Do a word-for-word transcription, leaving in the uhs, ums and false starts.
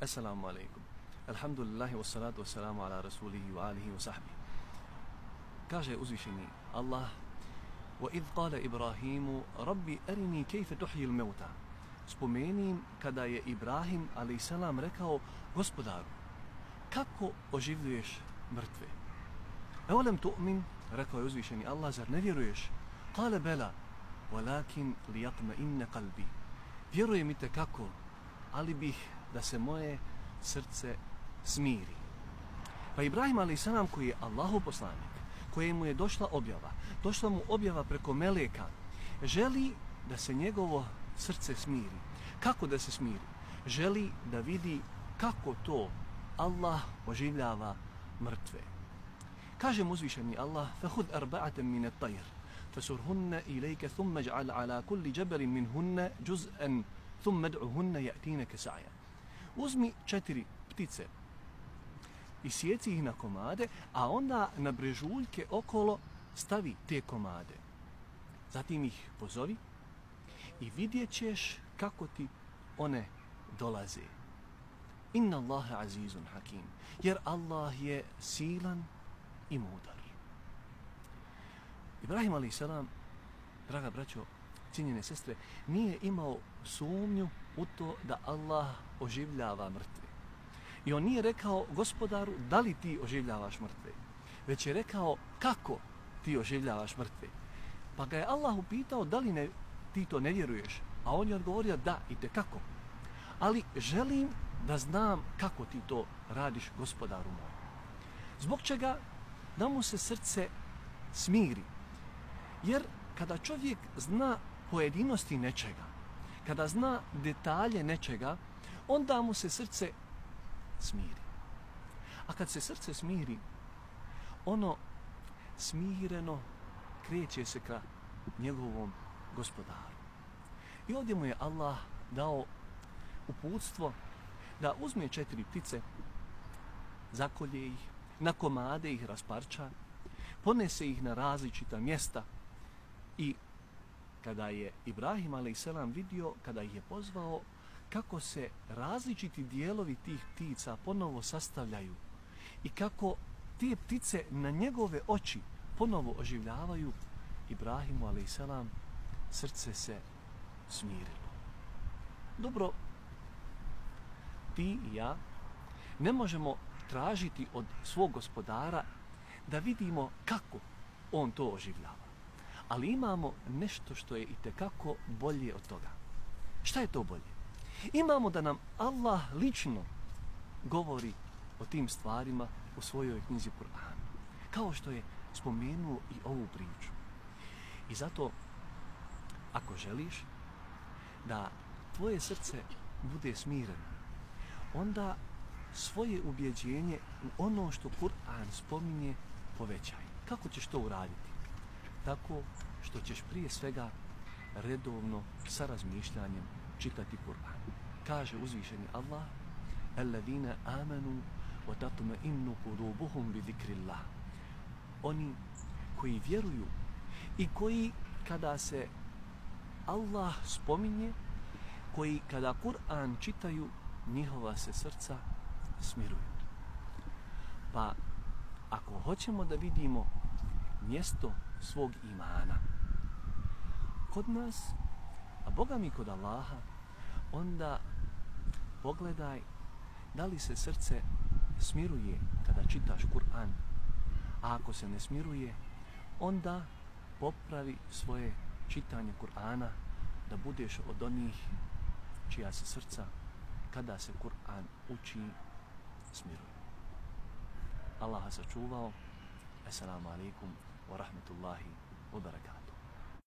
Assalamu alaikum. Alhamdulillahi wassalatu wassalamu ala rasulihi wa alihi wa sahbihi. Kaže uzvišeni Allah: وَإِذْ قَالَ إِبْرَاهِيمُ رَبِّ أَرِنِي كَيْفَ تُحْيِي الْمَوْتَى. Spomenim kada je Ibrahim a.s. rekao: Gospodaru, kako oživljuješ mrtve? Evolem tu'min, rekao je uzvišeni Allah, zar ne vjeruješ? Kale bela, walakin liyatma'inna qalbi. Vjerujem i tekako, ali bih da se moje srce smiri. Pa Ibrahim a.s. koji je Allahov poslanik, kojemu je došla objava, došla mu objava preko meleka, želi da se njegovo srce smiri. Kako da se smiri? Želi da vidi kako to Allah oživljava mrtve. Kaže mu uzvišeni Allah: فَهُدْ أَرْبَعَةً مِنَ الطَّيْرِ فَسُرْهُنَّ إِلَيْكَ ثُمَّ اجْعَلْ عَلَى كُلِّ جَبَلٍ مِنْهُنَّ جُزْءًا ثُمَّ ادْعُهُنَّ يَأْتِينَكَ سَعْيًا. Uzmi četiri ptice i sjeci ih na komade, a onda na brežuljke okolo stavi te komade. Zatim ih pozovi i vidjet ćeš kako ti one dolaze. Inna Allaha azizun hakim. Jer Allah je silan i mudar. Ibrahim a.s., draga braćo, cijenjene sestre, nije imao sumnju u to da Allah oživljava mrtve. I on nije rekao: Gospodaru, da li ti oživljavaš mrtve? Već je rekao: kako ti oživljavaš mrtve? Pa ga je Allah upitao: da li ne, ti to ne vjeruješ? A on je odgovorio: da, i tekako. Ali želim da znam kako ti to radiš, gospodaru moj. Zbog čega? Da mu se srce smiri. Jer kada čovjek zna pojedinosti nečega, kada zna detalje nečega, onda mu se srce smiri. A kad se srce smiri, ono smireno kreće se ka njegovom gospodaru. I ovdje mu je Allah dao uputstvo da uzme četiri ptice, zakolje ih, na komade ih rasparča, ponese ih na različita mjesta i kada je Ibrahim a.s. vidio, kada ih je pozvao, kako se različiti dijelovi tih ptica ponovo sastavljaju i kako te ptice na njegove oči ponovo oživljavaju, Ibrahimu a.s. srce se smirilo. Dobro, ti i ja ne možemo tražiti od svog gospodara da vidimo kako on to oživljava. Ali imamo nešto što je itekako bolje od toga. Šta je to bolje? Imamo da nam Allah lično govori o tim stvarima u svojoj knjizi Kur'an. Kao što je spomenuo i ovu priču. I zato, ako želiš da tvoje srce bude smireno, onda svoje ubjeđenje u ono što Kur'an spominje povećaj. Kako ćeš to uraditi? Tako što ćeš prije svega redovno sa razmišljanjem čitati Kur'an. Kaže uzvišeni Allah: Alladine amanu wa tatma'innu qulubuhum bi zikrillah. Oni koji vjeruju i koji kada se Allah spominje, koji kada Kur'an čitaju, njihova se srca smiruju. Pa ako hoćemo da vidimo mjesto svog imana kod nas, a Boga mi kod Allaha, onda pogledaj da li se srce smiruje kada čitaš Kur'an, a ako se ne smiruje, onda popravi svoje čitanje Kur'ana da budeš od onih čija se srca kada se Kur'an uči smiruje. Allah sačuvao. Assalamu alaikum wa rahmatullahi wa barakatuh.